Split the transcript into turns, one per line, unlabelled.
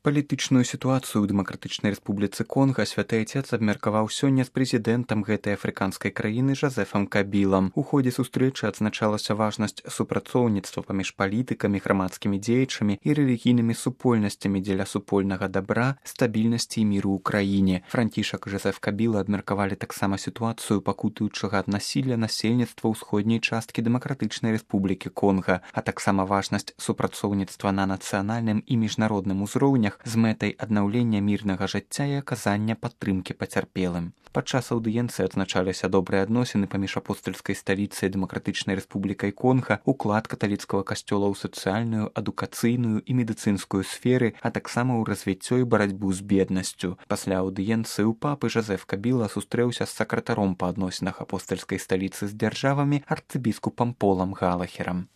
Палітычную сітуацыю ў дэмакратычнай рэспубліцы Конга святы Айцец абмеркаваў сёння з прэзідэнтам гэтай афрыканскай краіны Жазэфам Кабілам. У ходзе сустрэчы адзначалася важнасць супрацоўніцтва паміж палітыкамі, грамадскімі дзеячамі і рэлігійнымі супольнасцямі дзеля супольнага дабра, стабільнасці і міру ў краіне. Францішак і Жазэф Кабіла абмеркавалі таксама сітуацыю пакутуючага ад насілля насельніцтва ўсходняй часткі дэмакратычнай рэспублікі Конга, а таксама важнасць супрацоўніцтва на нацыянальным і міжнародным узроўнях з мэтай аднаўлення мірнага жыцця і аказання падтрымкі пацярпелым. Падчас аўдыенцыі адзначаліся добрыя адносіны паміж апостальскай сталіцай дэмакратычнай рэспублікай Конга, уклад каталіцкага касцёла ў сацыяльную, адукацыйную і медыцынскую сферы, а таксама ў развіццё і барацьбу з беднасцю. Пасля аўдыенцыі ў папы Жазэф Кабіла сустрэўся з сакратаром па адносінах апостальскай сталіцы з дзяржавамі арцыбіскупам Полам Галахерам.